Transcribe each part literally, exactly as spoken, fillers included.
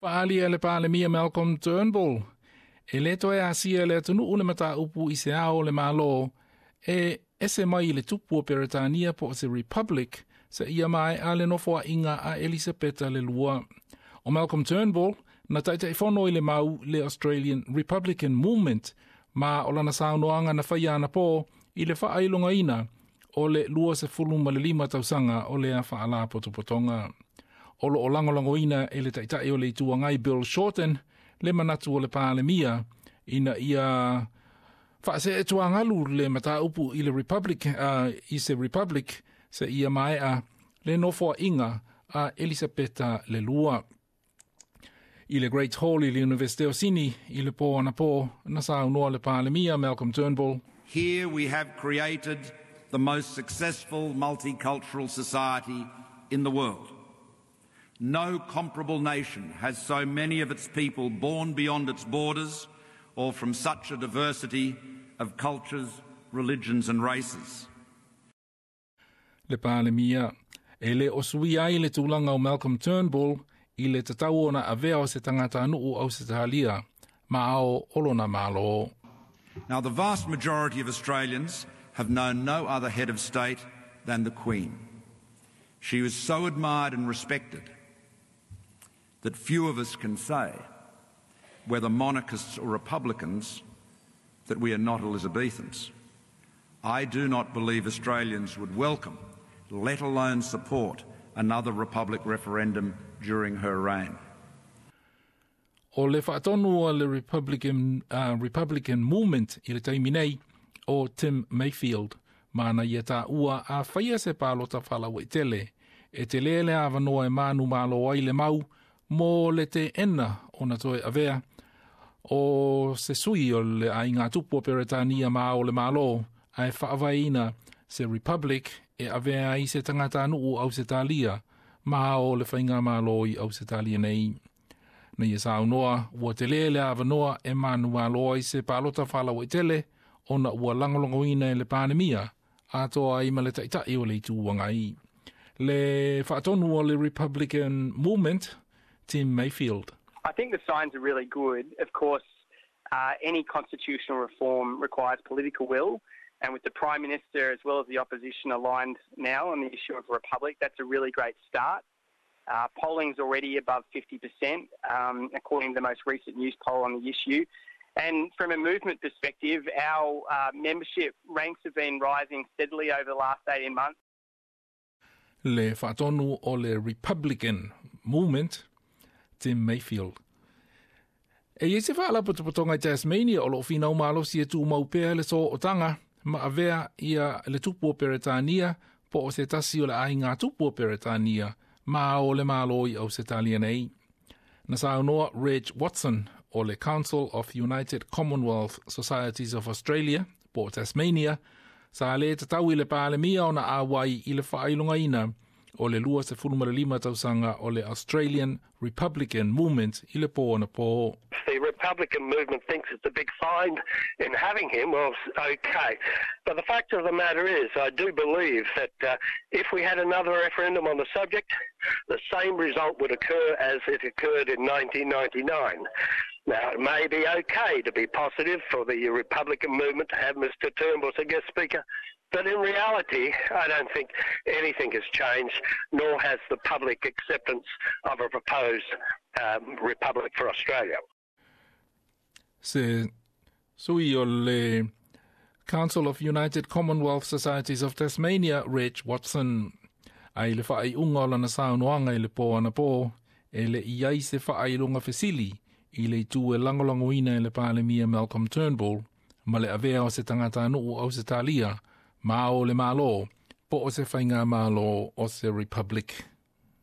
Faaalia e le Palemia Malcolm Turnbull e le toe asia le atunuu le mataupu i se ao o le Malo e ese mai i le tupu o Peretania po o se Republic seia maea le nofoaiga a Elisapeta le Lua. O Malcolm Turnbull na taitaifono i le mau le Australian Republican Movement ma o lana saunoaga na faia anapō i le faailogaina o le lua ma le lima tausaga o lea faalapotopotoga. O lo o lagolagoina e le taitai o le Itu Agai Bill Shorten le manatu o le Palemia ina ia faaseetuagalu le mataupu i le Republic, uh, i se Republic seia maea le nofoaiga a Elisapeta le Lua. I le Great Hall i le Universite o Sini i le pō anapō na saunoa le Palemia Malcolm Turnbull. Here we have created the most successful multicultural society in the world. No comparable nation has so many of its people born beyond its borders or from such a diversity of cultures, religions and races. Le Palemia e le o suia ai le tulaga o Malcolm Turnbull i le tatau ona avea o se tagatanuu Ausetalia ma ao o lona Malo. Now, the vast majority of Australians have known no other head of state than the Queen. She was so admired and respected that few of us can say, whether monarchists or Republicans, that we are not Elizabethans. I do not believe Australians would welcome, let alone support, another Republic referendum during her reign. O le faatonu o le Republican, uh, Republican Movement i le taimi nei o Tim Mayfield, ma na ia taua a faia se palota faalauaitele e tele le avanoa e manumalo ai le mau mo le teena ona toe avea o se sui o le aiga tupu o Peretania ma o le Malo ae faavaeina se Republic e avea ai se tagatanuu Ausetalia ma o le faigamalo i Ausetalia nei. Na ia saunoa ua tele le avanoa e manumalo ai se palota faalauaitele ona ua lagolagoina e le Palemia atoa ai ma le taitai o le Itu Agai. Le faatonu o le Republican Movement, Tim Mayfield. I think the signs are really good. Of course, uh, any constitutional reform requires political will, and with the Prime Minister as well as the opposition aligned now on the issue of a republic, that's a really great start. Uh, polling's already above fifty percent, um, according to the most recent Newspoll on the issue. And from a movement perspective, our uh, membership ranks have been rising steadily over the last eighteen months. Le faatonu o le Republican Movement, Tim Mayfield. E i ai se faalapotopotoga i Tasmania o loo finau malosi e tumau pea le sootaga ma avea ia le tupu o Peretania po o se tasi o le aiga tupu o Peretania ma o le Malo i Ausetalia nei. Na saunoa Reg Watson o le Council of United Commonwealth Societies of Australia po o Tasmania sa le tatau i le Palemia ona auai i le faailogaina o le lua tausaga o le Australian Republican Movement i le pō anapō. The Republican movement thinks it's a big find in having him. Well, okay. But the fact of the matter is, I do believe that, uh, if we had another referendum on the subject, the same result would occur as it occurred in nineteen ninety-nine. Now, it may be okay to be positive for the Republican movement to have Mister Turnbull as a guest speaker, but in reality, I don't think anything has changed, nor has the public acceptance of a proposed, um, republic for Australia. Se sui o le Council of United Commonwealth Societies of Tasmania, Reg Watson, ai le faaiuga o lana saunoaga i le pō anapō, e le i ai se faailoga fesili i le itu e lagolagoina e le Palemia Malcolm Turnbull, ma le avea o se tagatanuu Ausetalia, ma o le Malo, po o se faigamalo o se Republic.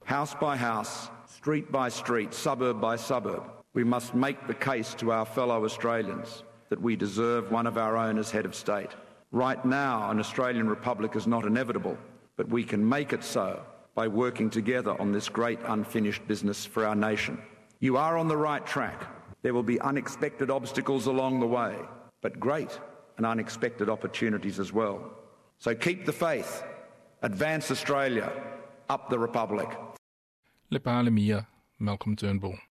House by house, street by street, suburb by suburb, we must make the case to our fellow Australians that we deserve one of our own as head of state. Right now, an Australian republic is not inevitable, but we can make it so by working together on this great unfinished business for our nation. You are on the right track. There will be unexpected obstacles along the way, but great and unexpected opportunities as well. So keep the faith. Advance Australia. Up the Republic. Le Palemia, Malcolm Turnbull.